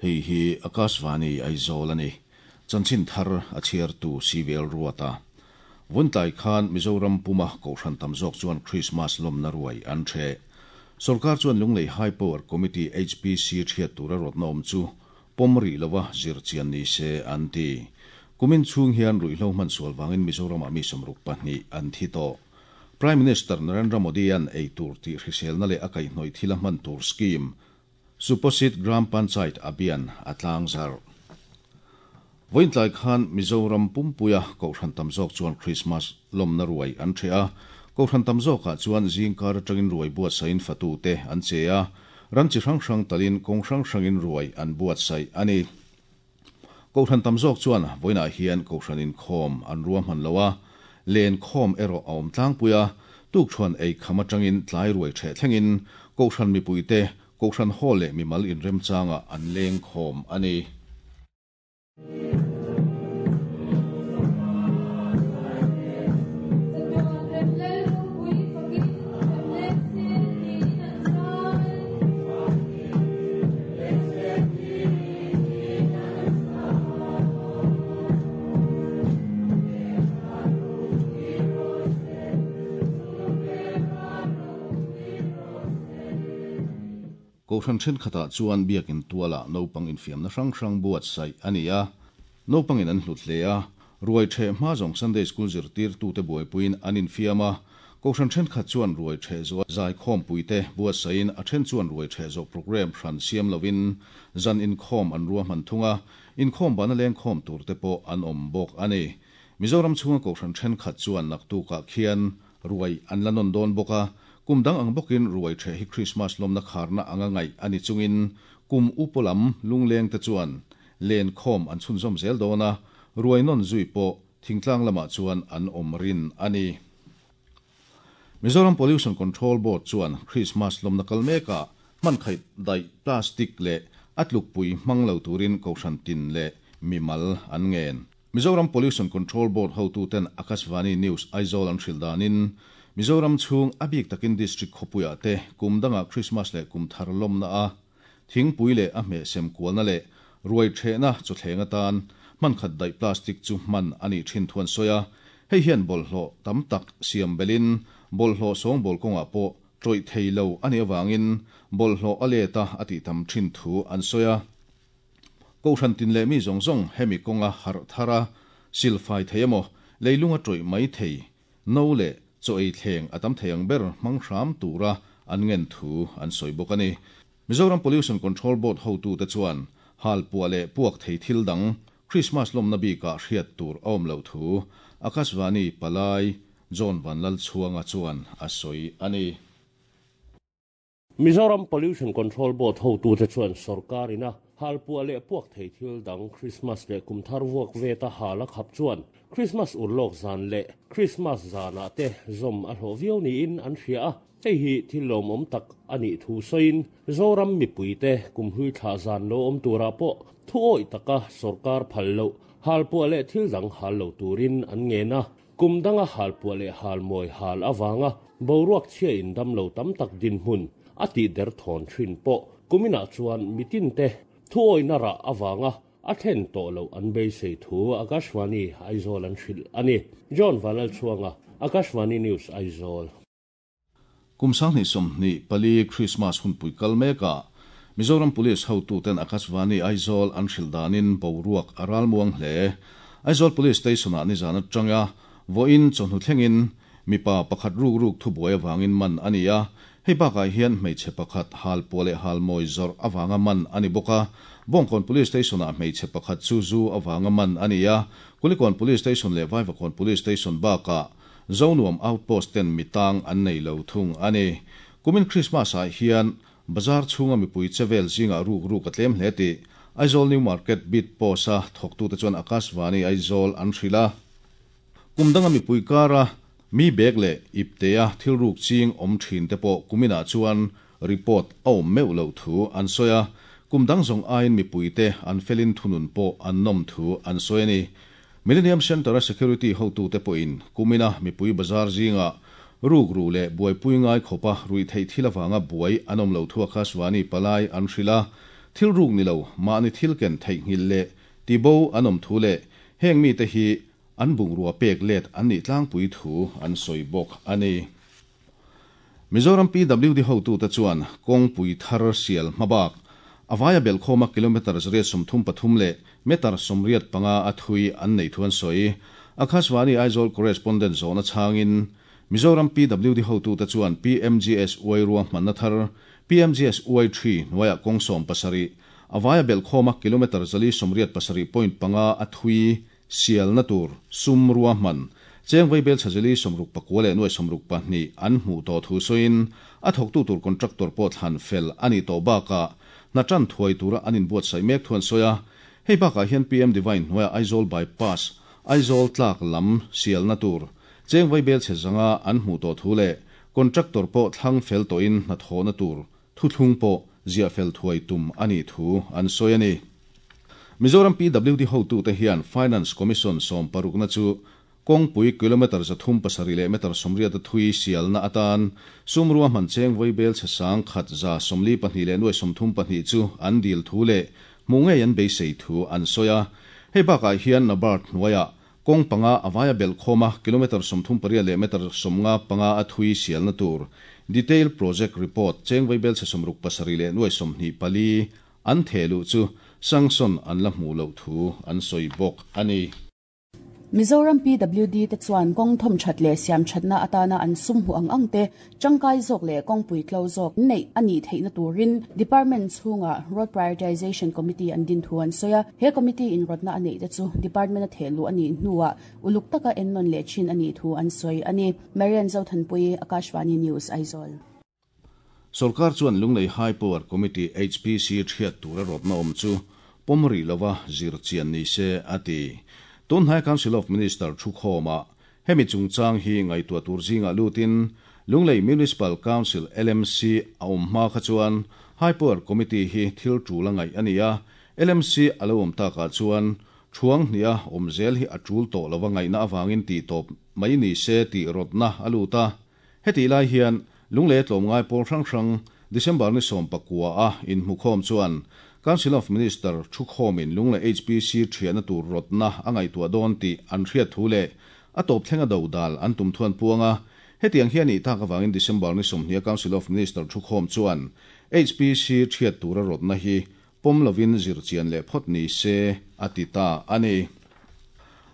Hei hi Akashvani Aizawl a ni. Chanchin thar a chhiartu CVL Ruata. Vuntlai khan Mizoram puma Kohhran tam zawk chuan Krismas lawmna ruai an ṭheh. Sorkar chuan Lunglei High Power Committee, HPC, ṭhiat tura rawtna awm chu pawm rih lova zir chian ni se an ti. Kumin chhung hian ruihhlo hman sual vangin Mizoramah mi 62 an thi tawh. Prime Minister Narendra Modi-a'n ei tur tih hriselna leh a kaihhnawih thila hman tur scheme Suposhit Gram Panchayat Abhiyan a tlangzarh. Vawiin tlai khan Mizoram pumpuia Kohhran tam zawk chuan Krismas lawmna ruai an ṭheh a. Kohhran tam zawkah chuan zingkar aṭangin ruai buatsaihin fatute an che a, ran chi hrang hrang talin kawng hrang hrangin ruai an buatsaih a ni. Kohhran tam zawk chuan vawiinah hian Kohhran inkhawm an ruahman lo a, len khawm erawh a awm tlangpui a, tukṭhuan ei kham aṭangin tlai ruai ṭheh thlengin Kohhran mipuite Kohhran hall leh mimal inremchangah an leng khawm a ni. Kohhran thenkhatah chuan biakin tualah naupang infiamna hrang hrang buatsaih a ni a, naupangin an hlut hle a, ruai ṭheh hma zawng Sunday School zirtirtute buaipuiin an infiam a, kohhran thenkhat chuan ruai ṭheh zawh zaikhawmpuite buatsaihin a then chuan ruai ṭheh zawh programme hran siam lovin zan inkhawm an ruahman thung a, inkhawm bana lengkhawm turte pawh an awm bawk a ni. Mizoram chhunga kohhran thenkhat chuan naktukah khian Ruai an la nawn dawn bawk a, kum dang ang bawkin ruai ṭheh hi Krismas lawmna kharna anga ngaih a ni chungin kum upaw lam lunglengte chuan len khawm an chhunzawm zel dawn a, ruai nawn zui pawh thingtlang lamah chuan an awm rin a ni. Mizoram Pollution Control Board chuan Krismas lawmna kal mekah hmankhaih daih plastic leh a tlukpui hmang lo turin Kohhran tin leh mimal an ngen. Mizoram Pollution Control Board hotuten Akashvani News Aizawl an hrilh danin, Mizoram chhung a bik takin District khawpuiah te kum dangah Christmas leh kum thar lawmna a thingpui leh a hmeh sem kualna leh ruai ṭhehna chawthleng atan hmankhat daih plastic chu hman a nih ṭhin thu an sawi a, hei hian bawlhhlawh tam tak siam belhin bawlhhlawh sawngbawl kawngah pawh ṭawih thei lo a nih avangin bawlhhlawh a let a a tih tam ṭhin thu an sawi a. Kohhran tin leh mi zawng zawng hemi kawnga harh thar a, silfai thei emaw, leilunga tawih mai thei, no leh chaw ei thleng a tam thei ang ber hmang hram tura an ngen thu an sawi bawk a ni. Mizoram Pollution Control Board hotute chuan halpuah leh puak thei thil dang Krismas lawmna bikah hriat tur a awm loh thu Akashvani Palai John Vanlalchhuanga chuan a sawi a ni. Mizoram Pollution Control Board hotute chuan sorkar ina halpuah leh puak thei thil dang Krismas leh kum thar vuak veta hal a khap chuan Krismas urlawk zan leh Krismas zanah te zawm a hlawh viau niin an hria a, hei hi thil lawmawm tak a nih thu sawiin Zoram mipuite kumhlui thlah zan lo awm turah pawh thuawih taka sorkar phal loh halpuah leh thil dang hal lo turin an ngen a. Kum danga halpuah leh halmawi hal avanga boruak chhia in damlo tam tak dinhmun a tih der thawn thin pawh kuminah chuan mitinte thuawihna rah avanga a thlen tawh loh an beisei thu Akashvani Aizawl an hrilh a ni. John Vanlalchhuanga, Akashvani News, Aizawl. Kum 2024 Krismas hunpui kal mekah Mizoram Police hotuten Akashvani Aizawl an hrilh danin boruak a ralmuang hle. Aizawl Police Station-ah nizan atanga vawiin chawhnu thlengin mipa pakhat ruk ruk thubuai avangin man a ni a. Hei bakah hian hmeichhe pakhat halpuah leh halmawi zawrh avanga man a ni bawk a. Bawngkawn Police Station-ah hmeichhe pakhat chu zu avanga man a ni a. Kulikawn Police Station leh Vaivakawn Police Station bakah Zonuam Outpost ten mi tang an nei lo thung a ni. Kumin Christmas ah hian bazar chhunga mipui che vel zingah ruk ruk a tlem hle tih Aizawl New Market Beat Post a thawktute chuan Akashvani Aizawl an hrilh a. Kum danga mipui kara mi bag leh iptea thil ruk ching awm thin te pawh kuminah chuan report a awm meuh loh thu an sawi a, kum dang zawng aiin mipuite an felin thunun pawh an nawm thu an sawi a ni. Millennium Centre-a security hotute pawhin kumina mipui bazar zingah rukru leh buaipui ngai khawpa ruihtheih thil avanga buai an awm lo thu Akashvani palai an hrilh a. thil ruk ni lo mahni thil ken theihnghilh leh tibo an awm thu leh heng mite hi an bungrua pek let an nih tlangpui thu an sawi bawk a ni. Mizoram PWD hotute chuan kawngpui thar sial hmabak, a vaia belhkhawma kilometre 133 leh metre 85 a thui an neih thu an sawi. Akashvani Aizawl Correspondent zawhna chhangin Mizoram PWD hotute chuan PMGSY ruahmanna thar PMGSY-III hnuaiah kawng 17, a vaia belhkhawma kilometre 487.5 a thui sialna tur sum ruahman cheng vaibel chhazeli 69 leh nuai 62 an hmuh tawh thu sawiin a thawktu tur contractor pawh thlan fel a nih tawh bakah hna tan thuai tura an inbuatsaih mek thu an sawi a. Hei bakah hian PM Divine hnuaiah Aizawl Bypass, Aizawl tlak lam sialna tur cheng vaibel chhe zanga an hmuh tawh thu leh contractor pawh thlang fel tawhin hnathawhna tur thuthlung pawh ziah fel thuai tum a nih thu an sawi a ni. Mizoram PWD hotute hian Finance Commission 16na chu kawngpui kilometre 307 leh metre 80 a thui sialna atan sum ruahman cheng vaibel chhe 142 leh nuai 32 chu an dil thu leh hmuh ngei an beisei thu an sawi a. Hei bakah hian NABARD hnuaiah kawng panga a vaia belhkhawma kilometre 38 leh metre 55 a thui sialna tur Detail Project Report cheng vaibel chhe 67 leh nuai 24 an thehluh chu sanction an la hmuh loh thu an sawi bawk a ni. Mizoram PWD te chuan kawng thawm that leh siam thatna atana an sum hmuh ang ang te tangkai zawk leh kawngpui tlo zawk neih a nih theihna turin Department chhungah Road Prioritization Committee an din thu an sawi a. He committee in rawtna a neih te chu Department a thehluh a nih hnuah uluk taka ennawn leh thin a nih thu an sawi a ni. Marian Zothanpui, Akashvani News, Aizawl. Sorkar chuan Lunglei High Power Committee, HPC, thiat tura rawtna awm chu pawm rih lova zir chian ni se a ti. Tunhnai Council of Minister thukhawmah hemi chungchang hi ngaihtuah tur zingah lutin Lunglei Municipal Council, LMC, a awm hma kha chuan High Power Committee hi thil tul a ngaih a ni a, LMC a lo awm takah chuan thuang hniha awm zel hi a tul tawh lova ngaihna avangin tih tawp mai ni se tih rawtna a lut a. Hetih lai hian Lunglei tlawmngai pawl hrang hrang December ni 19 a inhmukhawm chuan Council of Minister thukhawmin Lunglei HPC thiahna tur rawtna a ngaihtuah dawn tih an hriat thu leh a tawp thlenga do dal an tum thuan puang a. Hetiang hian nih tak avangin December ni 20 Council of Minister thukhawm chuan HPC thiat tura rawtna hi pawm lovin zir chian leh phawt ni se a ti ta a ni.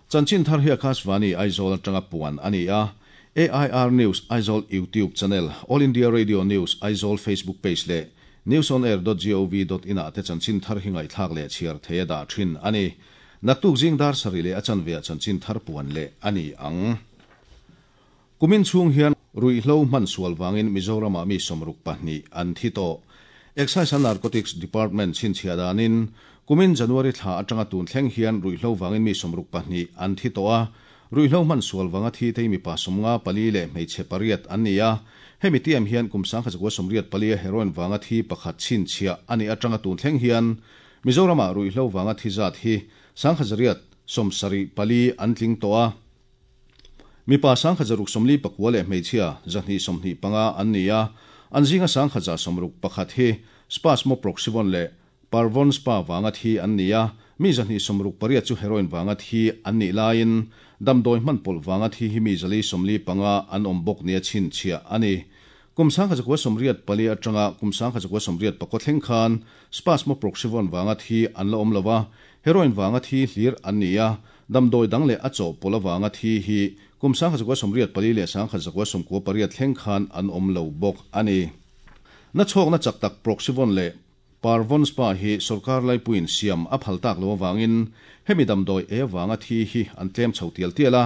Chanchin thar hi Akashvani Aizawl atanga puan a ni a. AIR News Aizawl YouTube channel, All India Radio News Aizawl Facebook page leh newsonair.gov.in ah te chanchin thar hi ngaihthlak leh chhiar thei a dah thin a ni. Naktuk zing dar sarih leh a chanve ah chanchin thar puan leh a ni ang. Kumin chhung hian ruihhlo hman sual vangin Mizoramah mi 62 an thi tawh. Excise and Narcotics Department chhinchhiah danin kumin January thla atanga tun thleng hian ruihhlo vangin mi 62 an thi tawh a. Ruihhlo hman sual vanga thi te hi mipa 54 leh hmeichhe 8 an ni a. Hemi tiam hian kum 1984 a heroin vanga thi pakhat chhinchhiah a nih atanga tun thleng hian Mizoramah ruihhlo vanga thi zat hi 1,174 an tling tawh a. Mipa 1,649 leh hmeichhia 225 an ni a. An zinga 1,161 hi Spasmoproxyvon leh Parvon Spa vanga thi an ni a. Mi 268 chu heroin vanga thi an nih laiin damdawi hman pawlh vanga thi hi mi 445 an awm bawk nia chhinchhiah a ni. Kum 1984 atanga kum 1989 thleng khan Spasmoproxyvon vanga thi an la awm lo a, heroin vanga thi hlir an ni a, damdawi dang leh a chawhpawlh avanga thi hi kum 1984 leh 1998 thleng khan an awm lo bawk a ni. Na chhawkna chak tak Proxyvon leh Parvon Spa hi sorkar laipuiin siam a phal tak lo avangin hemi damdawi e avanga thi hi an tlem chho tial tial a,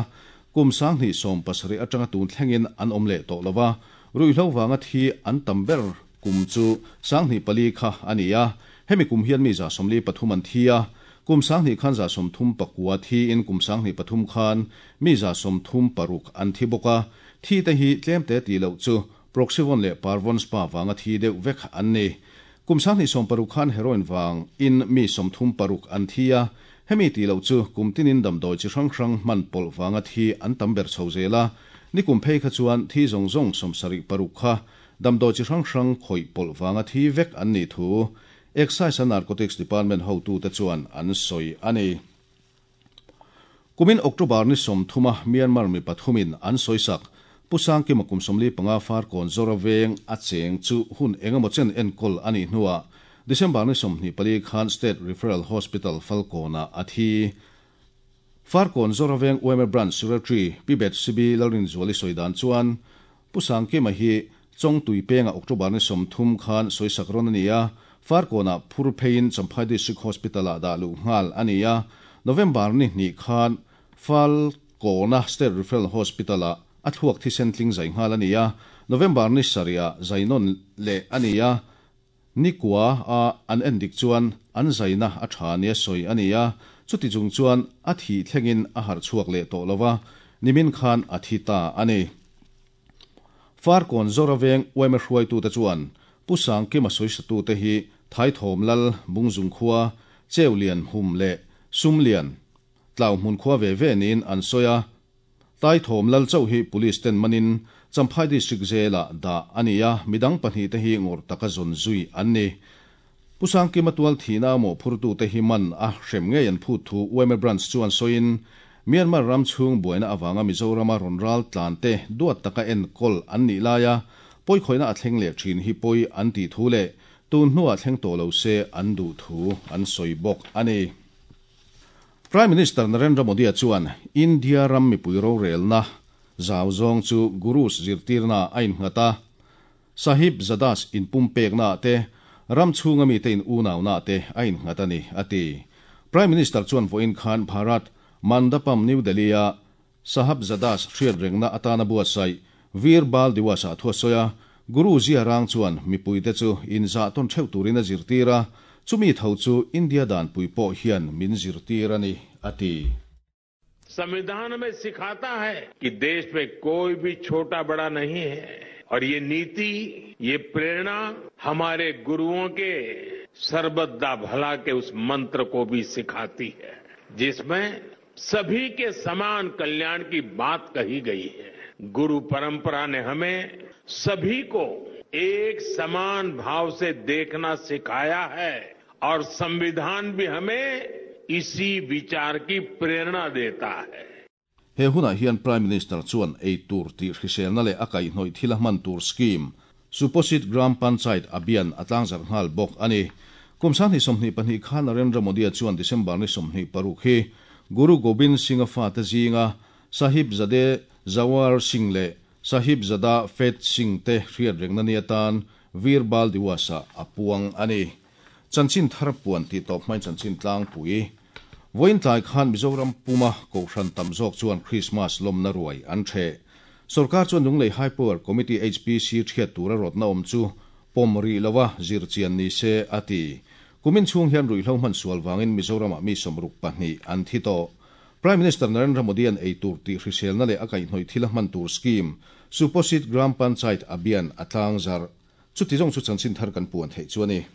kum 2017 atanga tun thlengin an awm leh tawh lo a, ruihhlo vanga thi an tam ber kum chu 2004 kha a ni a, hemi kum hian mi 143 an thi a, kum 2000 khan 139 thi in kum 2003 khan mi 136 an thi bawk a, thi te hi tlem te ti loh chu Proxyvon leh Parvon Spa vanga thi deuh vek an ni. Kum 2016 khan heroin vang in mi 36 an thi a, hemi ti loh chu kum tinin damdawi chi hrang hrang hman pawlh vanga thi an tam ber chho zel a, ni kum phei kha chuan thi zawng zawng 76 kha damdawi chi hrang hrang khawih pawlh vanga thi vek an nih thu. Excise and Narcotics Department hotute chuan an sawi a ni. Kumin October ni 30 a Myanmar mi pathumin an sawisak Pu Sangkima kum 45 Farkawn Zora veng a cheng chu hun engemaw chen enkawl a nih hnuah December ni 24 khan State Referral Hospital Falkawnah a thi. Farkawn Zora veng yma Branch Secretary Pi Bethsibi Lalrinzuali sawi dan chuan Pu Sangkima hi Chawngtui pengah October ni 30 khan sawisak rawn a ni a, Farkawnah phur pheiin Champhai District Hospital-ah dah luh nghal a ni a, November ni hnih khan Falkawna State Referral Hospital-ah a thluak thisen tling zai nghal a ni a, November ni sarihah zainawn leh a ni a, nikua a an endik chuan an zaina a tha nia sawi a ni a, chuti chung chuan a thih thlengin a harh chhuak leh tawh lo va, nimin khan a thi ta a ni. Farkawn Zora veng yma hruaitute chuan Pu Sangkima sawisatute hi Thaithawm Lal, Bungzung khua, Cheulian Hum leh Sumlian, Tlau hmun khua ve ve niin an sawi a. Taithawm Lal chauh hi Police ten manin Champhai District Jail-ah dah a ni a, midang pahnihte hi ngawrh taka zawn zui an ni. Pu Sangkima tual thihna a mawhphurtute hi man a hrem ngei an phut thu yma Branch chuan sawiin, Myanmar ram chhung buaina avanga Mizorama rawn ral tlan te duat taka enkawl an nih laia pawikhawihna a thleng leh thin hi pawi an tih thu leh tun hnuah thleng tawh lo se an duh thu an sawi bawk a ni. Prime Minister Narendra Modi-a chuan India ram mipui rorelna zau zawng chu Gurus zirtirnaah a innghat a, Sahib Zadas inpumpeknaah te, ram chhunga mite in unaunaah te a innghat a ni, a ti. Prime Minister chuan vawiin khan Bharat Mandapam New Delhi-a Sahab Zadas hriat rengna atana buatsaih Veer Bal Diwas-ah thu a sawi a, Guru Zia Rang chuan mipuite chu inzah tawn theuh turin a zirtir a, chumi tho chu India danpui pawh hian min zirtir a ni, a ti. संविधान हमें सिखाता है कि देश में कोई भी छोटा बड़ा नहीं है और ये नीति, ये प्रेरणा हमारे गुरुओं के सरबत दा भला के उस मंत्र को भी सिखाती है, जिसमें सभी के समान कल्याण की बात कही गई है। गुरु परंपरा ने हमें सभी को एक समान भाव से देखना सिखाया है और संविधान भी हमें इसी विचार की प्रेरणा देता है। He hunah hian Prime Minister chuan ei tur tih hriselna leh a kaihhnawih thil a hman tur scheme, Suposhit Gram Panchayat Abhiyan a tlangzarh nghal bawk a ni. Kum 2022 khan Narendra Modi-a chuan December ni 26 hi Guru Gobind Singh-a fate zinga Sahibzade Zawar Singh leh Sahibzada Fateh Singh te hriat rengna ni atan Veer Bal Diwas-ah a puang a ni. Chanchin thar puan tih tawp hmain chanchin tlangpui. Vawiin tlai khan Mizoram puma Kohhran tam zawk chuan Krismas lawmna ruai an ṭheh. Sorkar chuan Lunglei High Power Committee, HPC, ṭhiat tura rawtna awm chu pawm rih lova zirchian ni se a ti. Kumin chhung hian ruihhlo hman sual vangin Mizoramah mi 62 an thi tawh. Prime Minister Narendra Modi-a'n ei tur tih hriselna leh a kaihhnawih thil a hman tur scheme, Suposhit Gram Panchayat Abhiyan a tlangzarh. Chuti zawng chu chanchin thar kan puan theih chu a ni.